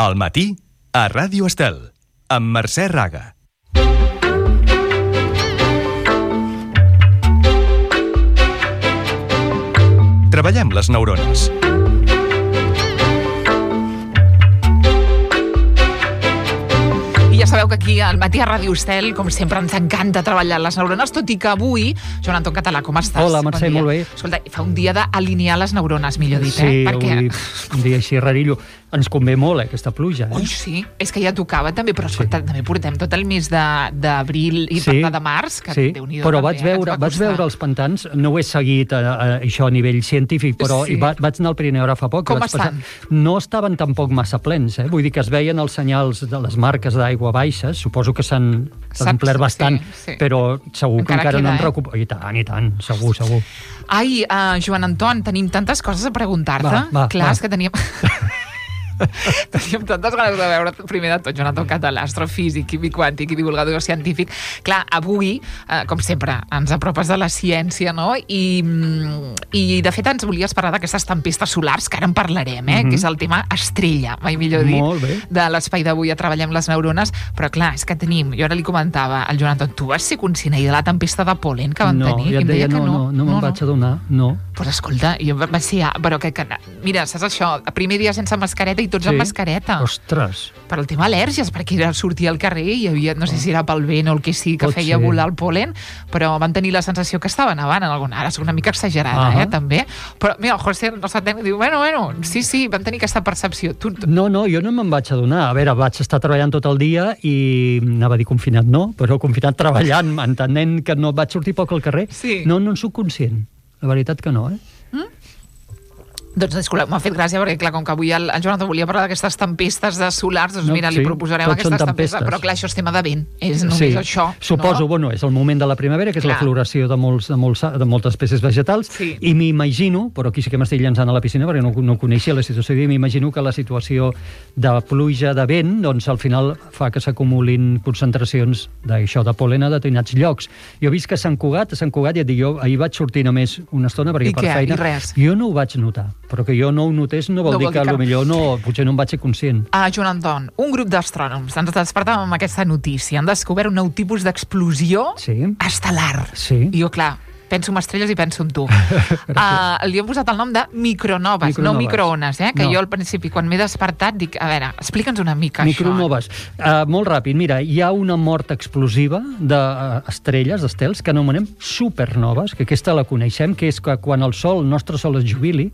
Al matí, a Ràdio Estel, amb Mercè Raga. Treballem les neurones. Ja sabeu que aquí al matí a Ràdio Estel, com sempre, ens encanta treballar les neurones, tot i que avui, Joan Anton Català, com estàs? Hola, Mercè, molt bé. Escolta, fa un dia d'alinear les neurones, millor dit, sí, perquè... un dia així rarillo. Ens convé molt, aquesta pluja. Ui, sí, és que ja tocava també, però escolta, també portem tot el mes d'abril i de març, que Déu-n'hi-do. Però vaig veure els pantans, no ho he seguit això a nivell científic, però vaig anar al Pirineu ara fa poc. Com estan? No estaven tampoc massa plens, vull dir que es veien els senyals de les marques d'aigua baixes, suposo que s'han omplert bastant, però segur que encara no han recuperat. I tant, segur. Ai, Joan Anton, tenim tantes coses a preguntar-te. Clar, és que teníem tantes ganes de veure, primer de tot, Joan Anton Català, astrofísic, químic quàntic i divulgador científic. Clar, avui, com sempre, ens apropes de la ciència, no? I de fet ens volies parlar d'aquestes tempestes solars, que ara en parlarem, que és el tema estrella, mai millor dit, de l'espai d'avui a Treballem les neurones. Però clar, és que tenim, jo ara li comentava al Joan Anton, tu vas ser conscient ahir de la tempesta de pol·len que van tenir? No, ja et deia, no me'n vaig adonar, no. Doncs escolta, jo vaig ser... Però que, mira, saps això? El primer dia sense mascareta i tots amb mascareta. Ostres. Per el tema al·lèrgies, perquè sortia al carrer i hi havia, no sé si era pel vent o el que sí, que feia volar el pol·len, però van tenir la sensació que estava nevant en alguna... Ara és una mica exagerada, també. Però, mira, el José, el nostre tècnic, diu, bueno, sí, van tenir aquesta percepció. No, jo no me'n vaig adonar. A veure, vaig estar treballant tot el dia i anava a dir confinat, no, però confinat treballant, entenent que no vaig sortir poc al carrer. No en soc conscient. La veritat que no, Doncs, disculpa, m'ha fet gràcia perquè, clar, com que avui el Joan Anton volia parlar d'aquestes tempestes de solars, doncs mira, li proposarem aquestes tempestes, però clar, això és tema de vent, és només això. Suposo, bueno, és el moment de la primavera, que és la floració de moltes espècies vegetals, i m'imagino, però aquí sí que m'estic llançant a la piscina perquè no coneixia la situació, m'imagino que la situació de pluja, de vent, doncs al final fa que s'acumulin concentracions d'això, de pol·len a determinats llocs. Jo he vist que a Sant Cugat, ja et dic, jo ahir vaig sortir només una estona perquè per feina, jo no ho vaig notar. Però que jo no ho notés no vol dir que potser potser no em vaig ser conscient. Joan Anton, un grup d'astrònoms ens despertàvem amb aquesta notícia. Han descobert un nou tipus d'explosió estel·lar. I jo, clar, penso en estrelles i penso en tu. Li hem posat el nom de micronoves, no microones, que jo al principi, quan m'he despertat, dic, a veure, explica'ns una mica micronoves. Molt ràpid, mira, hi ha una mort explosiva d'estrelles, d'estels, que anomenem supernoves, que aquesta la coneixem, que és que quan el nostre Sol es jubili,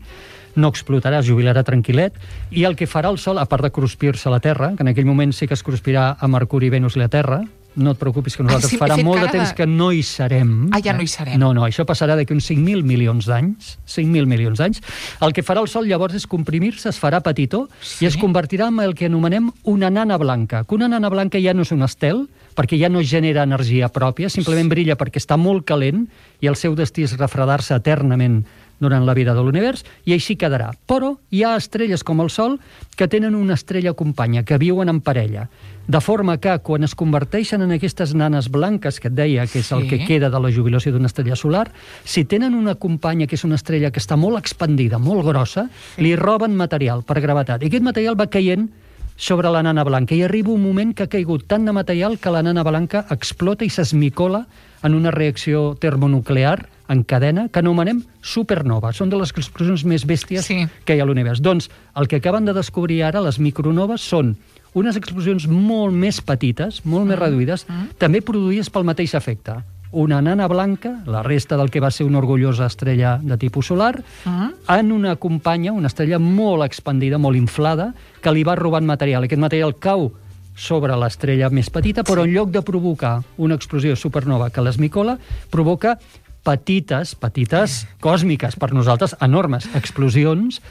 no explotarà, es jubilarà tranquil·let, i el que farà el Sol, a part de cruspir-se a la Terra, que en aquell moment sí que es cruspirà a Mercuri, Venus i la Terra, no et preocupis que nosaltres farà molt de temps que no hi serem. Ja no hi serem. No, això passarà d'aquí uns 5.000 milions d'anys. 5.000 milions d'anys. El que farà el Sol llavors és comprimir-se, es farà petitó i es convertirà en el que anomenem una nana blanca. Que una nana blanca ja no és un estel, perquè ja no genera energia pròpia, simplement brilla perquè està molt calent i el seu destí és refredar-se eternament durant la vida de l'univers, i així quedarà. Però hi ha estrelles com el Sol que tenen una estrella companya, que viuen en parella. De forma que, quan es converteixen en aquestes nanes blanques, que et deia que és el que queda de la jubilació d'una estrella solar, si tenen una companya que és una estrella que està molt expandida, molt grossa, li roben material per gravetat. I aquest material va caient sobre la nana blanca, i arriba un moment que ha caigut tant de material que la nana blanca explota i s'esmicola en una reacció termonuclear en cadena que anomenem supernova. Són de les explosions més bèsties que hi ha a l'univers. Doncs el que acaben de descobrir ara, les micronoves, són unes explosions molt més petites, molt més reduïdes, també produïdes pel mateix efecte. Una nana blanca, la resta del que va ser una orgullosa estrella de tipus solar, en una companya, una estrella molt expandida, molt inflada, que li va robant material. Aquest material cau sobre l'estrella més petita, però en lloc de provocar una explosió supernova que l'esmicola, provoca petites còsmiques, per nosaltres enormes explosions,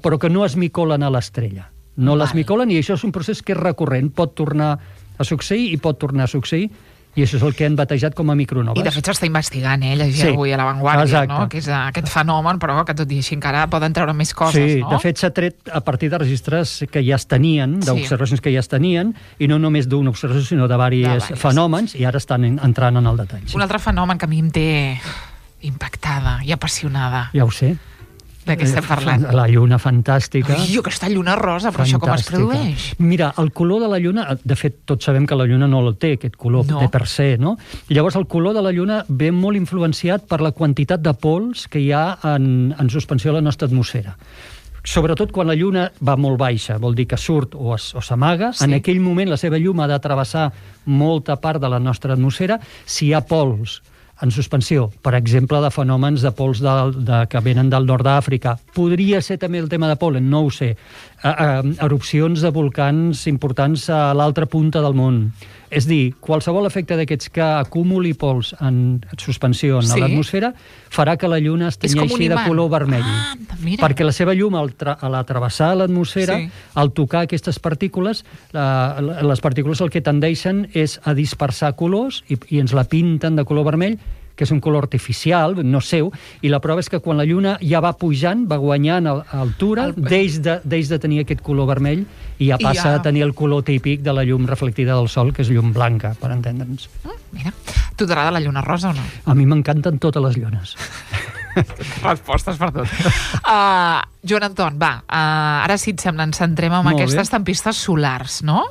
però que no esmicolen a l'estrella. No l'esmicolen, i això és un procés que és recurrent. Pot tornar a succeir i pot tornar a succeir, i això és el que han batejat com a micronoves. I de fet s'està investigant, llegia avui a La Vanguardia, no? Que és aquest fenomen, però que tot i així encara poden treure més coses, no? De fet s'ha tret a partir de registres que ja es tenien, d'observacions que ja es tenien, i no només d'una observació, sinó de diversos fenòmens, i ara estan entrant en el detall. Un altre fenomen que a mi em té impactada i apassionada. Ja ho sé. De què estem parlant? La lluna fantàstica. Ui, aquesta lluna rosa, però això com es produeix? Mira, el color de la lluna, de fet, tots sabem que la lluna no el té, aquest color, No. de per se, no? I llavors el color de la lluna ve molt influenciat per la quantitat de pols que hi ha en suspensió a la nostra atmosfera. Sobretot quan la lluna va molt baixa, vol dir que surt o s'amaga, Sí. en aquell moment la seva llum ha de travessar molta part de la nostra atmosfera. Si hi ha pols en suspensió, per exemple, de fenòmens de pols que venen del nord d'Àfrica. Podria ser també el tema de pol·len, no ho sé. Erupcions de volcans importants a l'altra punta del món. És dir, qualsevol efecte d'aquests que acumuli pols en suspensió en Sí. l'atmosfera farà que la lluna es És com un tenyeixi de imant. color vermell. Ah, mira. Perquè la seva llum, a la travessar l'atmosfera, Sí. al tocar aquestes partícules, les partícules el que tendeixen és a dispersar colors i ens la pinten de color vermell, que és un color artificial, no seu, i la prova és que quan la lluna ja va pujant, va guanyant altura, deix de tenir aquest color vermell i ja passa a tenir el color típic de la llum reflectida del sol, que és llum blanca, per entendre'ns. Mira, tu t'agrada la lluna rosa o no? A mi m'encanten totes les llunes. Respostes per tot. Joan Anton, va, ara sí et sembla, ens centrem en Molt bé. aquestes tempestes solars, no?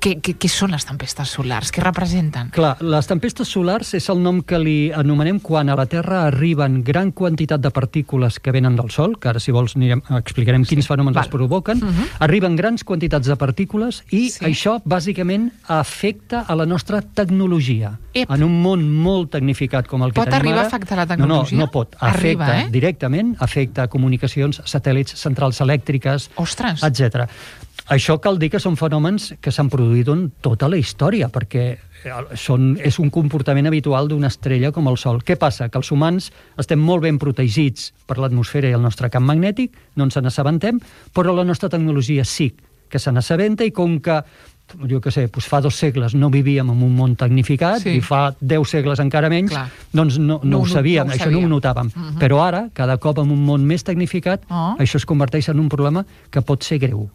Què són les tempestes solars? Què representen? Clar, les tempestes solars és el nom que li anomenem quan a la Terra arriben gran quantitat de partícules que venen del Sol, que ara, si vols, explicarem quins fenòmens val. els provoquen. Arriben grans quantitats de partícules i això, bàsicament, afecta a la nostra tecnologia. Ep. En un món molt tecnificat com el que Pot tenim arribar ara... a afectar la tecnologia? No pot. Arriba, Afecta directament, afecta comunicacions, satèl·lits, centrals elèctriques, Ostres! etc. Això cal dir que són fenòmens que s'han produït en tota la història, perquè és un comportament habitual d'una estrella com el Sol. Què passa? Que els humans estem molt ben protegits per l'atmosfera i el nostre camp magnètic, no ens n'assabentem, però la nostra tecnologia sí que se n'assabenta, i com que jo què sé, fa 2 segles no vivíem en un món tecnificat, i fa 10 segles encara menys, doncs no ho sabíem, això no ho notàvem. Però ara, cada cop en un món més tecnificat, això es converteix en un problema que pot ser greu.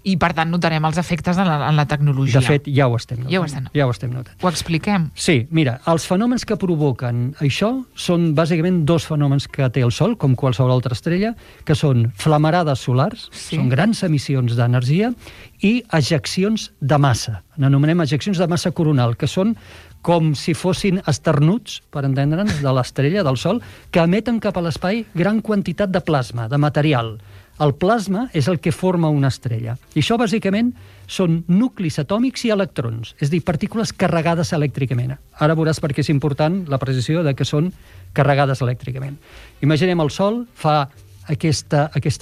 I, per tant, notarem els efectes en la tecnologia. De fet, ja ho estem notant. Ja ho estem notant. Ho expliquem? Sí, mira, els fenòmens que provoquen això són bàsicament 2 fenòmens que té el Sol, com qualsevol altra estrella, que són flamarades solars, són grans emissions d'energia, i ejeccions de massa. N'anomenem ejeccions de massa coronal, que són com si fossin esternuts, per entendre'ns, de l'estrella, del Sol, que emeten cap a l'espai gran quantitat de plasma, de material. El plasma és el que forma una estrella. I això, bàsicament, són nuclis atòmics i electrons, és a dir, partícules carregades elèctricament. Ara veuràs per què és important la precisió de que són carregades elèctricament. Imaginem el Sol, fa aquest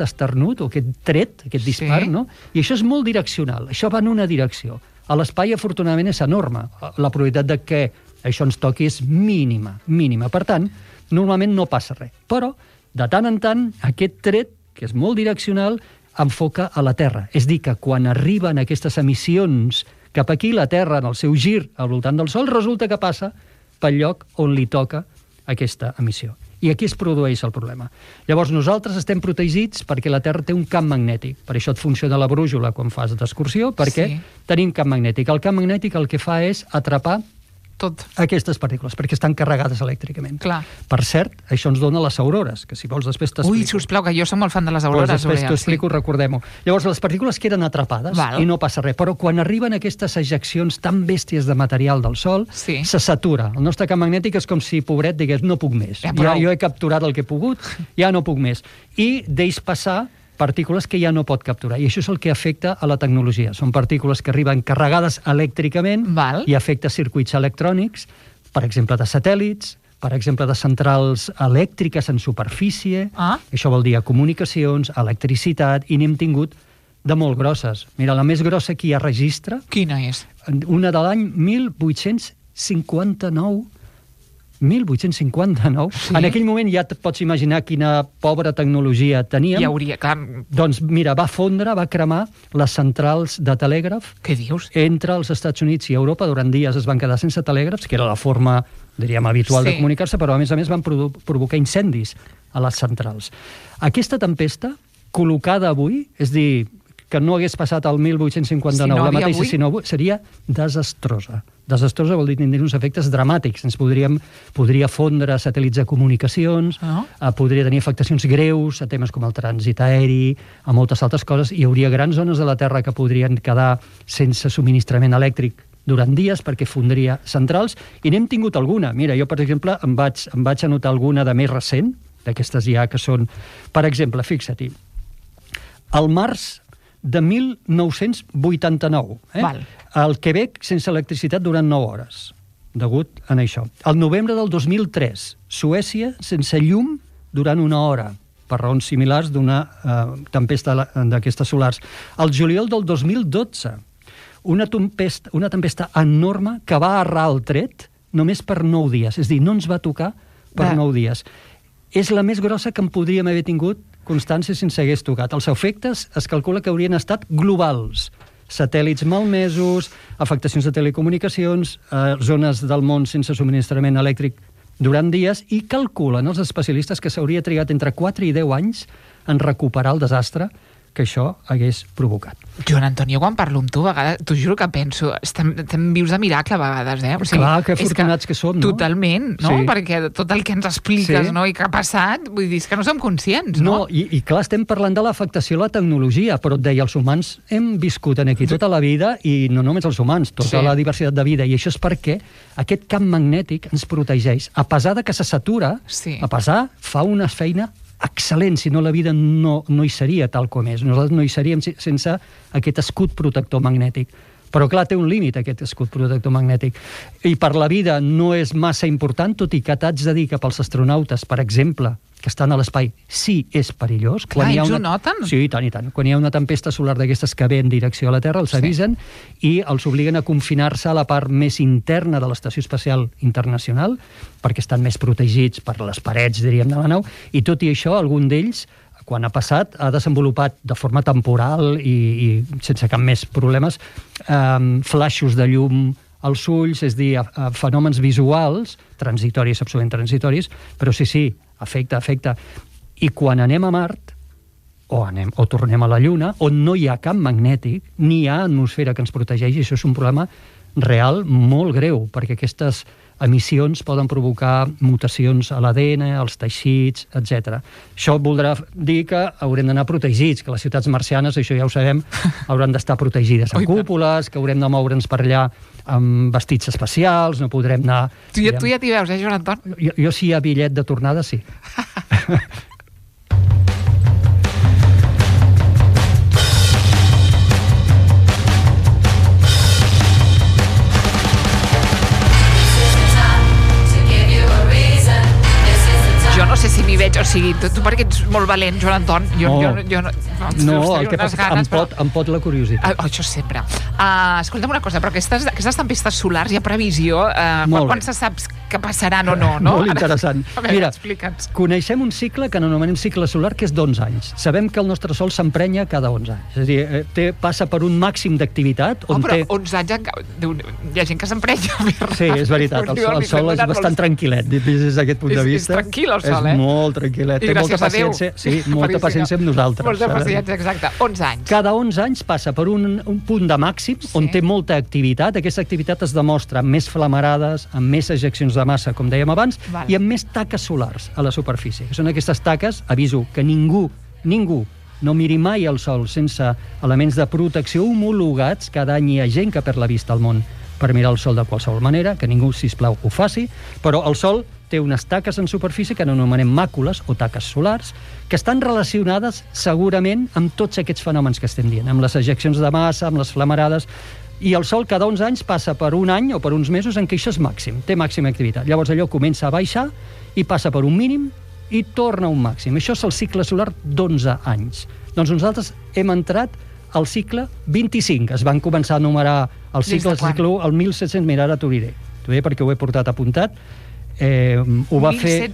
esternut, o aquest tret, aquest dispar, no? I això és molt direccional, això va en una direcció. A l'espai, afortunadament, és enorme. La probabilitat de que això ens toqui és mínima. Per tant, normalment no passa res. Però, de tant en tant, aquest tret, que és molt direccional, enfoca a la Terra. És dir, que quan arriben aquestes emissions cap aquí, la Terra, en el seu gir al voltant del Sol, resulta que passa pel lloc on li toca aquesta emissió. I aquí es produeix el problema. Llavors, nosaltres estem protegits perquè la Terra té un camp magnètic. Per això et funciona la brújula quan fas d'excursió, perquè tenim camp magnètic. El camp magnètic el que fa és atrapar aquestes partícules, perquè estan carregades elèctricament. Per cert, això ens dona les aurores, que si vols després t'explico. Ui, sisplau, que jo soc molt fan de les aurores. Després t'ho explico, recordem-ho. Llavors, les partícules queden atrapades i no passa res, però quan arriben aquestes ejeccions tan bèsties de material del Sol, se satura. El nostre camp magnètic és com si, pobret, digués, no puc més. Jo he capturat el que he pogut, ja no puc més. I deix passar partícules que ja no pot capturar. I això és el que afecta a la tecnologia. Són partícules que arriben carregades elèctricament i afecta circuits electrònics, per exemple, de satèl·lits, per exemple, de centrals elèctriques en superfície. Això vol dir comunicacions, electricitat, i n'hem tingut de molt grosses. Mira, la més grossa que hi ha registre... Quina és? Una de l'any 1859. 1859. En aquell moment ja et pots imaginar quina pobra tecnologia teníem. Hi hauria, clar... Doncs mira, va fondre, va cremar les centrals de telègraf. Què dius? Entre els Estats Units i Europa. Durant dies es van quedar sense telègrafs, que era la forma, diríem, habitual de comunicar-se, però a més van provocar incendis a les centrals. Aquesta tempesta, col·locada avui, és dir, que no hagués passat el 1859 Si no la havia mateixa, avui. sinó avui, seria desastrosa. Desastrosa vol dir tindre uns efectes dramàtics. Podria fondre satèl·lits de comunicacions, podria tenir afectacions greus a temes com el trànsit aeri, a moltes altres coses. Hi hauria grans zones de la Terra que podrien quedar sense subministrament elèctric durant dies perquè fondria centrals, i n'hem tingut alguna. Mira, jo, per exemple, em vaig anotar alguna de més recent, d'aquestes ja que són... Per exemple, fixa-t'hi, al març de 1989, al Quebec sense electricitat durant 9 hores, degut a això. Al novembre del 2003, Suècia sense llum durant 1 hora, per raons similars d'una tempesta d'aquestes solars. Al juliol del 2012, una tempesta enorme que va errar el tret només per 9 dies. És a dir, no ens va tocar per 9 dies. És la més grossa que en podríem haver tingut constància si ens hagués tocat. Els efectes es calcula que haurien estat globals. Satèl·lits malmesos, afectacions de telecomunicacions, zones del món sense subministrament elèctric durant dies, i calculen els especialistes que s'hauria trigat entre 4 i 10 anys en recuperar el desastre que això hagués provocat. Joan Antonio, quan parlo amb tu, a vegades, t'ho juro que penso, estem vius de miracle a vegades, O sigui, clar, que afortunats que som, no? Totalment, no? Sí. Perquè tot el que ens expliques, no? I que ha passat, vull dir, és que no som conscients, no? I clar, estem parlant de l'afectació a la tecnologia, però et deia, els humans hem viscut aquí tota la vida, i no només els humans, tota la diversitat de vida, i això és perquè aquest camp magnètic ens protegeix. A pesar de que se satura, a pesar, fa una feina excel·lent, si no la vida no hi seria tal com és. Nosaltres no hi seríem sense aquest escut protector magnètic. Però, clar, té un límit, aquest escut protector magnètic. I per la vida no és massa important, tot i que t'haig de dir que pels astronautes, per exemple, que estan a l'espai, sí és perillós. Clar, ells ho noten? Sí, i tant, i tant. Quan hi ha una tempesta solar d'aquestes que ve en direcció a la Terra, els avisen i els obliguen a confinar-se a la part més interna de l'Estació Espacial Internacional, perquè estan més protegits per les parets, diríem, de la nau, i tot i això, algun d'ells, quan ha passat, ha desenvolupat de forma temporal i sense cap més problemes flaixos de llum als ulls, és a dir, fenòmens visuals, transitoris, absolutament transitoris, però sí, afecta. I quan anem a Mart, o tornem a la Lluna, on no hi ha camp magnètic, ni hi ha atmosfera que ens protegeixi, això és un problema real molt greu, perquè aquestes emissions poden provocar mutacions a l'ADN, als teixits, etc. Això voldrà dir que haurem d'anar protegits, que les ciutats marcianes, això ja ho sabem, hauran d'estar protegides amb cúpules, que haurem de moure'ns per allà amb vestits especials, no podrem anar... Tu ja t'hi veus, Joan Anton? Jo si hi ha bitllet de tornada, sí. Jo no sé si m'hi veig, o sigui, tu perquè ets molt valent, Joan Anton, jo no, el que passa és que em pot la curiositat. Això sempre. Escolta'm una cosa, però aquestes tempestes solars hi ha previsió? Quan se saps que passaran o no? Molt interessant. Mira, explica'ns. Coneixem un cicle que anomenem cicle solar, que és d'11 anys. Sabem que el nostre Sol s'emprenya cada 11 anys. És a dir, passa per un màxim d'activitat... Però 11 anys... Hi ha gent que s'emprenya. Sí, és veritat. El Sol és bastant tranquil·let, des d'aquest punt de vista. És tranquil, el Sol, És molt tranquil·let. Té molta paciència. Sí, molta paciència amb nosaltres. Molta paciència, exacte. 11 anys. Cada 11 anys passa per un punt de màxim on té molta activitat. Aquesta activitat es demostra amb més flamarades, amb més ejeccions de massa, com dèiem abans, i amb més taques solars a la superfície. Són aquestes taques, aviso, que ningú no miri mai al Sol sense elements de protecció homologats. Cada any hi ha gent que perd la vista al món per mirar el Sol de qualsevol manera, que ningú, sisplau, ho faci, però el Sol té unes taques en superfície que anomenem màcules o taques solars, que estan relacionades segurament amb tots aquests fenòmens que estem dient, amb les ejeccions de massa, amb les flamarades, i el Sol cada 11 anys passa per un any o per uns mesos en què això és màxim, té màxima activitat. Llavors allò comença a baixar i passa per un mínim i torna a un màxim. Això és el cicle solar d'11 anys. Doncs nosaltres hem entrat al cicle 25. Es van començar a numerar el cicle 1 al 1700. Mira, ara t'ho diré. T'ho diré perquè ho he portat apuntat. Ho va fer...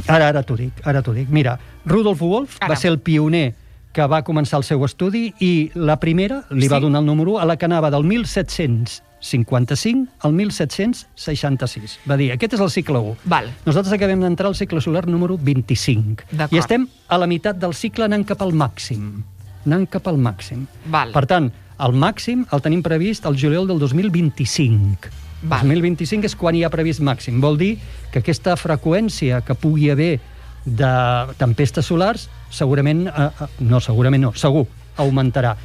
Ara t'ho dic. Mira, Rudolf Wolf va ser el pioner que va començar el seu estudi i la primera li va donar el número 1 a la que anava del 1755 al 1766. Va dir, aquest és el cicle 1. Nosaltres acabem d'entrar al cicle solar número 25. I estem a la meitat del cicle anant cap al màxim. anant cap al màxim. Val. Per tant, el màxim el tenim previst el juliol del 2025. Val. 2025 és quan hi ha previst màxim. Vol dir que aquesta freqüència que pugui haver de tempestes solars segurament, segur, augmentarà.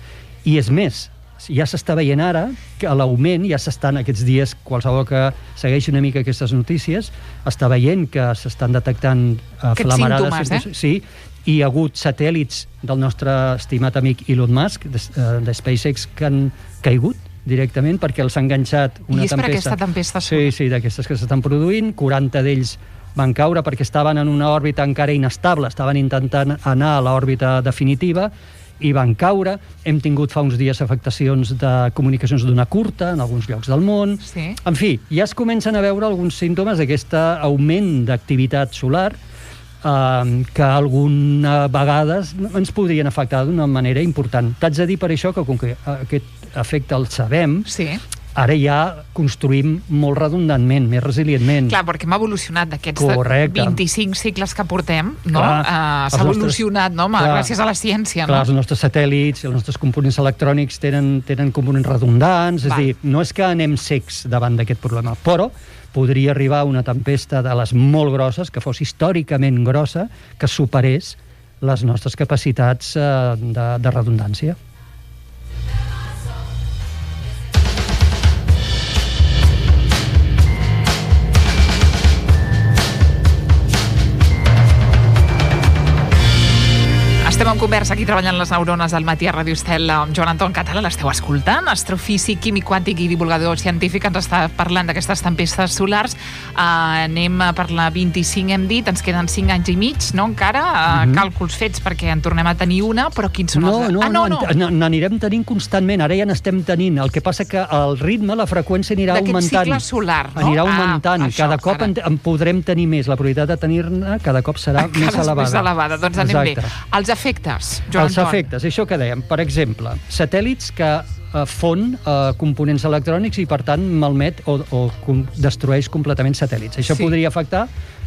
I és més, ja s'està veient ara que l'augment, ja s'estan aquests dies, qualsevol que segueixi una mica aquestes notícies, està veient que s'estan detectant flamarades. Símptomes, Sí, i hi ha hagut satèl·lits del nostre estimat amic Elon Musk, de SpaceX, que han caigut directament perquè els ha enganxat una tempesta. I és per aquesta tempesta solar. Sí, d'aquestes que s'estan produint. 40 d'ells van caure perquè estaven en una òrbita encara inestable, estaven intentant anar a l'òrbita definitiva i van caure. Hem tingut fa uns dies afectacions de comunicacions d'ona curta en alguns llocs del món. Sí. En fi, ja es comencen a veure alguns símptomes d'aquest augment d'activitat solar que alguna vegades ens podrien afectar d'una manera important. T'haig de dir per això que com que aquest efecte el sabem, Sí. ara ja construïm molt redundantment, més resilientment. Clar, perquè hem evolucionat d'aquests Correcte. 25 cicles que portem, no? Clar, S'ha evolucionat, no? Gràcies a la ciència, Clar, no? els nostres satèl·lits, els nostres components electrònics tenen components redundants, és a dir, no és que anem secs davant d'aquest problema, però podria arribar una tempesta de les molt grosses, que fos històricament grossa, que superés les nostres capacitats de redundància. Estem en conversa aquí treballant les neurones del matí a Ràdio Estel amb Joan Anton Català, l'esteu escoltant, astrofísic, químic quàntic i divulgador científic, ens està parlant d'aquestes tempestes solars. Anem per la 25, hem dit, ens queden 5 anys i mig, no, encara? Càlculs fets perquè en tornem a tenir una, però quins són els... N'anirem tenint constantment, ara ja n'estem tenint, el que passa que el ritme, la freqüència anirà augmentant. D'aquest cicle solar, no? Anirà augmentant, cada cop en podrem tenir més, la probabilitat de tenir-ne cada cop serà més elevada. Més elevada, doncs anem bé. Els efectes, Joan Els efectes, això que dèiem, per exemple, satèl·lits que fon components electrònics i, per tant, malmet o destrueix completament satèl·lits. Això podria afectar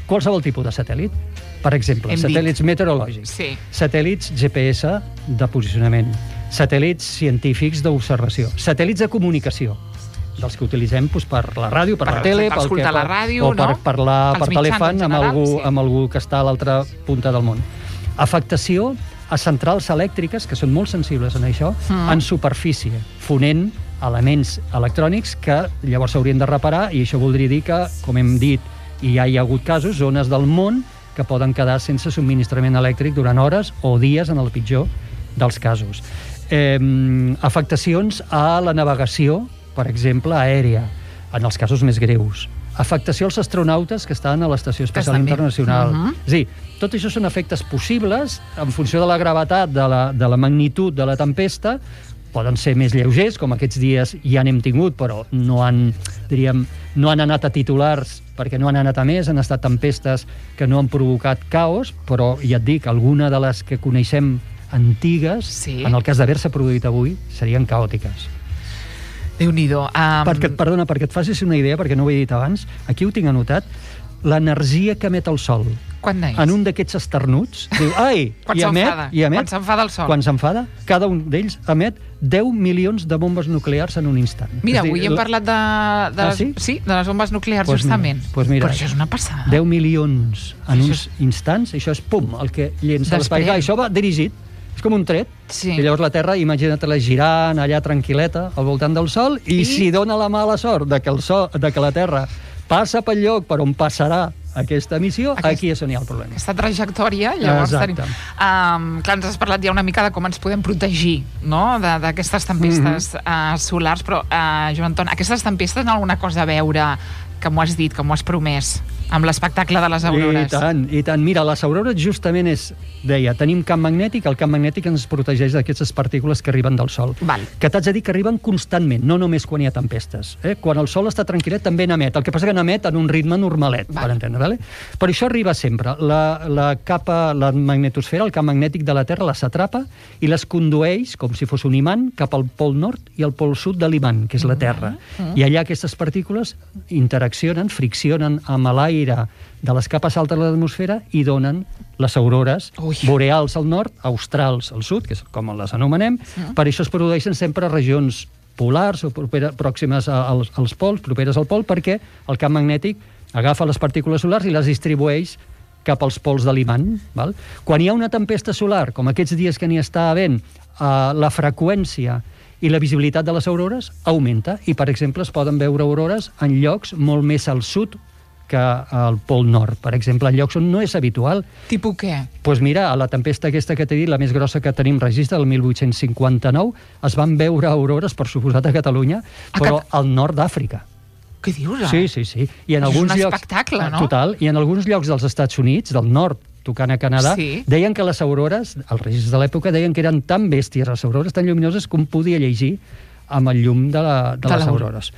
qualsevol tipus de satèl·lit. Per exemple, satèl·lits meteorològics, satèl·lits GPS de posicionament, satèl·lits científics d'observació, satèl·lits de comunicació, dels que utilitzem per la ràdio, per la tele, per escoltar la ràdio, o per parlar per telèfon amb algú que està a l'altra punta del món. Afectació a centrals elèctriques, que són molt sensibles en això, en superfície, fonent elements electrònics que llavors s'haurien de reparar, i això voldria dir que, com hem dit, i ja hi ha hagut casos, zones del món que poden quedar sense subministrament elèctric durant hores o dies, en el pitjor dels casos. Afectacions a la navegació, per exemple, aèria, en els casos més greus. Afectació als astronautes que estan a l'Estació Espacial Internacional. És a dir, tot això són efectes possibles en funció de la gravetat, de la magnitud de la tempesta. Poden ser més lleugers, com aquests dies ja n'hem tingut, però no han anat a titulars perquè no han anat a més, han estat tempestes que no han provocat caos, però ja et dic, alguna de les que coneixem antigues, en el cas d'haver-se produït avui, serien caòtiques. Déu-n'hi-do. Perdona, perquè et facis una idea, perquè no ho he dit abans, aquí ho tinc anotat, l'energia que emet el Sol. Quan neix? En un d'aquests esternuts, diu, ai, i emet... Quan s'enfada el Sol. Quan s'enfada, cada un d'ells emet 10 milions de bombes nuclears en un instant. Mira, avui hem parlat de les bombes nuclears, justament. Però això és una passada. 10 milions en uns instants, això és, pum, el que llença l'espai. Això va dirigit, és com un tret, i llavors la Terra, imagina't-la girant allà tranquil·leta al voltant del Sol, i si dona la mala sort de que la Terra passa pel lloc per on passarà aquesta emissió, aquí és on hi ha el problema. Aquesta trajectòria, llavors tenim... Clar, ens has parlat ja una mica de com ens podem protegir, no?, d'aquestes tempestes solars, però, Joan Anton, aquestes tempestes tenen alguna cosa a veure, que m'ho has dit, que m'ho has promès, amb l'espectacle de les aurores? I tant. Mira, les aurores justament deia, tenim camp magnètic, el camp magnètic ens protegeix d'aquestes partícules que arriben del Sol. Que t'haig de dir que arriben constantment, no només quan hi ha tempestes. Quan el Sol està tranquil·let també n'emet, el que passa que n'emet en un ritme normalet, per entendre, vale? Per això arriba sempre. La magnetosfera, el camp magnètic de la Terra, les atrapa i les condueix, com si fos un imant, cap al pol nord i al pol sud de l'imant, que és la Terra. I allà aquestes partícules interaccionen, friccionen amb l'aire l'aire de les capes altes de l'atmosfera i donen les aurores boreals al nord, australs al sud, que és com les anomenem. Per això es produeixen sempre a regions polars o pròximes als pols, properes al pol, perquè el camp magnètic agafa les partícules solars i les distribueix cap als pols de l'imant. Quan hi ha una tempesta solar, com aquests dies que n'hi està havent, la freqüència i la visibilitat de les aurores augmenta i, per exemple, es poden veure aurores en llocs molt més al sud que al Pol Nord, per exemple, en llocs on no és habitual. Tipus què? Doncs mira, a la tempesta aquesta que t'he dit, la més grossa que tenim registre, el 1859, es van veure aurores, per suposat, a Catalunya, però al nord d'Àfrica. Què dius? Sí. I en alguns llocs, espectacle, no? Total, i en alguns llocs dels Estats Units, del nord, tocant a Canadà, deien que les aurores, els registres de l'època, deien que eren tan bèsties, les aurores tan lluminoses, que un podia llegir amb el llum de les aurores.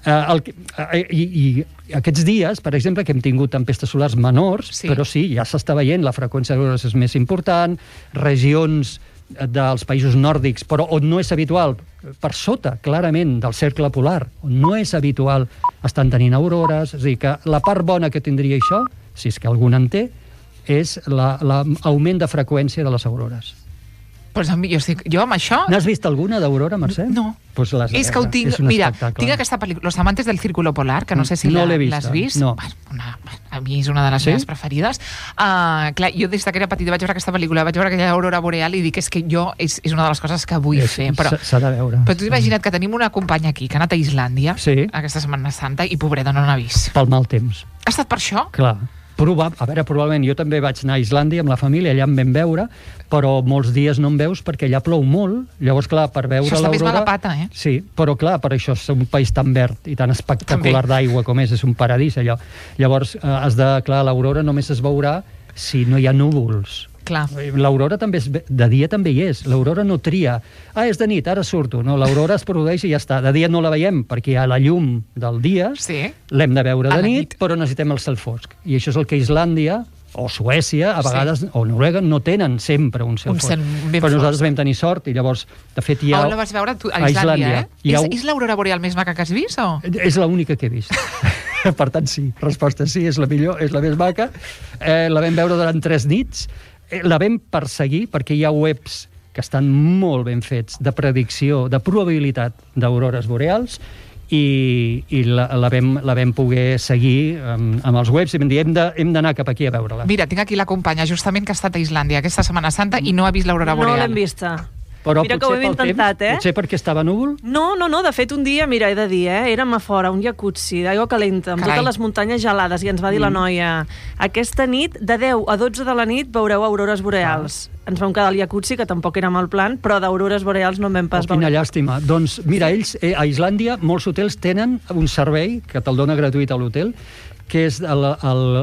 I aquests dies, per exemple, que hem tingut tempestes solars menors, però sí, ja s'està veient, la freqüència d'aurores és més important, regions dels països nòrdics, però on no és habitual, per sota, clarament, del cercle polar, on no és habitual, estan tenint aurores. És a dir, que la part bona que tindria això, si és que algun en té, és l'augment de freqüència de les aurores. Pues jo amb això... N'has vist alguna d'aurora, Mercè? No. Pues és que ho tinc... Mira, tinc aquesta pel·lícula, Los amantes del círculo polar, que no sé si l'has vist. No. A mi és una de les meves preferides. Clar, jo des que era petita vaig veure aquesta pel·lícula, vaig veure aquella aurora boreal i dic, és que jo és una de les coses que vull fer. S'ha de veure. Però tu imagina't que tenim una companya aquí que ha anat a Islàndia aquesta Setmana Santa i pobreta no n'ha vist. Pel mal temps. Ha estat per això? Clar. A veure, probablement, jo també vaig anar a Islàndia amb la família, allà em vam veure, però molts dies no em veus perquè allà plou molt. Llavors, clar, per veure l'aurora... Això està més mala pata, eh? Sí, però clar, per això és un país tan verd i tan espectacular d'aigua com és un paradís, allò. Llavors, clar, l'aurora només es veurà si no hi ha núvols. Clar. L'aurora també de dia també hi és. L'aurora no tria. És de nit, ara surto. No, l'aurora es produeix i ja està. De dia no la veiem perquè hi ha la llum del dia. L'hem de veure de nit, però necessitem el cel fosc. I això és el que Islàndia o Suècia, a vegades, o Noruega, no tenen sempre un cel fosc. Però nosaltres vam tenir sort i llavors, de fet, hi ha... On la vas veure a Islàndia, És l'aurora boreal més maca que has vist, o...? És l'única que he vist. Per tant, sí. Resposta sí, és la millor, és la més maca. La vam veure durant 3 nits. La vam perseguir perquè hi ha webs que estan molt ben fets de predicció, de probabilitat d'aurores boreals i la vam poder seguir amb els webs i vam dir hem d'anar cap aquí a veure-la. Mira, tinc aquí la companya justament que ha estat a Islàndia aquesta Setmana Santa i no ha vist l'aurora boreal. No l'hem vista. Però mira que ho hem intentat, Potser perquè estava núvol? No, de fet un dia, mira, he de dir, érem a fora, un jacuzzi d'aigua calenta, amb totes les muntanyes gelades, i ens va dir la noia, aquesta nit, de 10 a 12 de la nit, veureu aurores boreals. Ens vam quedar al jacuzzi, que tampoc era mal plan, però d'aurores boreals no en vam pas veure. Quina llàstima. Doncs mira, ells, a Islàndia, molts hotels tenen un servei, que te'l dona gratuït a l'hotel, que és el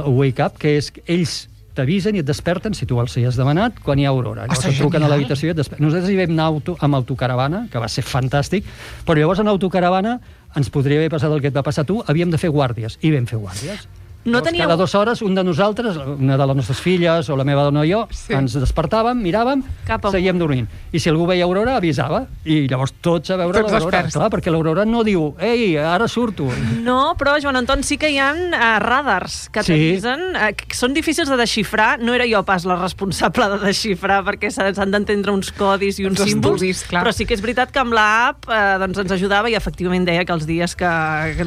Wake Up, que és ells t'avisen i et desperten, si tu els hi has demanat, quan hi ha aurora. Llavors et truquen a l'habitació i et desperten. Nosaltres hi vam anar amb autocaravana, que va ser fantàstic, però llavors en autocaravana ens podria haver passat el que et va passar a tu, havíem de fer guàrdies, i vam fer guàrdies. No teníeu... Cada 2 hores, un de nosaltres, una de les nostres filles o la meva dona o jo, ens despertàvem, miràvem, seguíem dormint. I si algú veia aurora, avisava. I llavors tots a veure l'aurora. Clar, perquè l'aurora no diu, ei, ara surto. No, però, Joan Anton, sí que hi ha radars que t'avisen. Són difícils de desxifrar. No era jo pas la responsable de desxifrar, perquè s'han d'entendre uns codis i uns símbols. Però sí que és veritat que amb l'app ens ajudava i efectivament deia que els dies que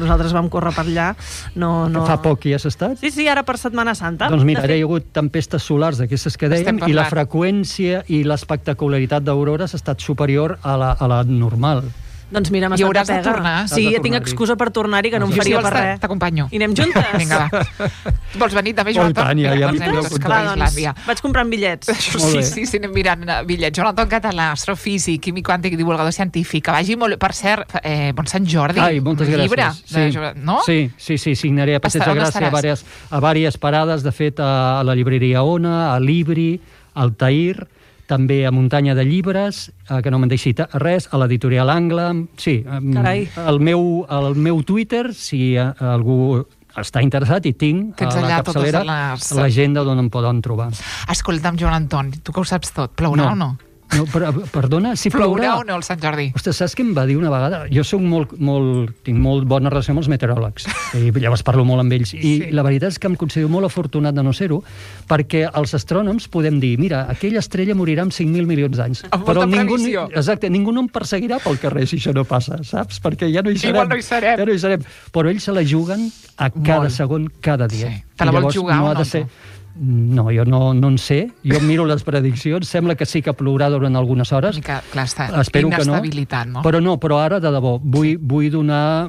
nosaltres vam córrer per allà no... Fa poc ja estat? Sí, ara per Setmana Santa. Doncs mira, hi ha hagut tempestes solars d'aquestes que dèiem i la freqüència i l'espectacularitat d'aurores ha estat superior a la normal. Doncs mira, m'ha estat de pega. Sí, tinc excusa per tornar-hi, que no em faria per res. T'acompanyo. I anem juntes? Vinga, va. Vols venir també, Joan Anton? Vaig comprant bitllets. Sí, anem mirant bitllets. Joan Anton Català, astrofísic, químic quàntic, divulgador científic, que vagi molt... Per cert, bon Sant Jordi. Ai, moltes gràcies. Sí, signaré a Passeig de Gràcia a diverses parades, de fet, a la llibreria Ona, a Libri, al Tahir, també a Muntanya de Llibres, que no me'n deixi res, a l'editorial Angle. Sí, el meu Twitter, si algú està interessat, i tinc a la capçalera l'agenda d'on em poden trobar. Escolta'm, Joan Anton, tu que ho saps tot, plourà o no? No, perdona, si plourà o no el Sant Jordi? Ostres, saps què em va dir una vegada? Jo tinc molt bona relació amb els meteoròlegs, i llavors parlo molt amb ells, i la veritat és que em considero molt afortunat de no ser-ho, perquè els astrònoms podem dir, mira, aquella estrella morirà amb 5.000 milions d'anys. Però ningú no em perseguirà pel carrer si això no passa, saps? Perquè ja no hi serem. Igual no hi serem. Ja no hi serem. Però ells se la juguen a cada segon, cada dia. Sí. Te la vols jugar o no? No, jo no en sé. Jo miro les prediccions, sembla que sí que plourà durant algunes hores. Clar, està espero que no. No? Però ara, de debò, vull donar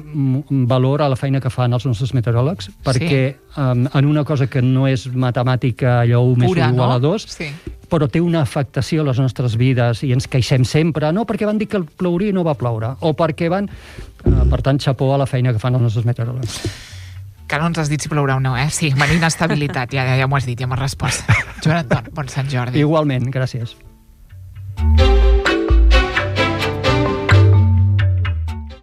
valor a la feina que fan els nostres meteoròlegs, perquè en una cosa que no és matemàtica allò 1 més 1 igual a 2, però té una afectació a les nostres vides i ens queixem sempre, no perquè van dir que plouria i no va ploure, o perquè van... Per tant, xapó a la feina que fan els nostres meteoròlegs. Que no ens has dit si plourà o no, eh? Sí, venir inestabilitat, ja m'ho has dit, ja m'has respost. Joan Anton, bon Sant Jordi. Igualment, gràcies.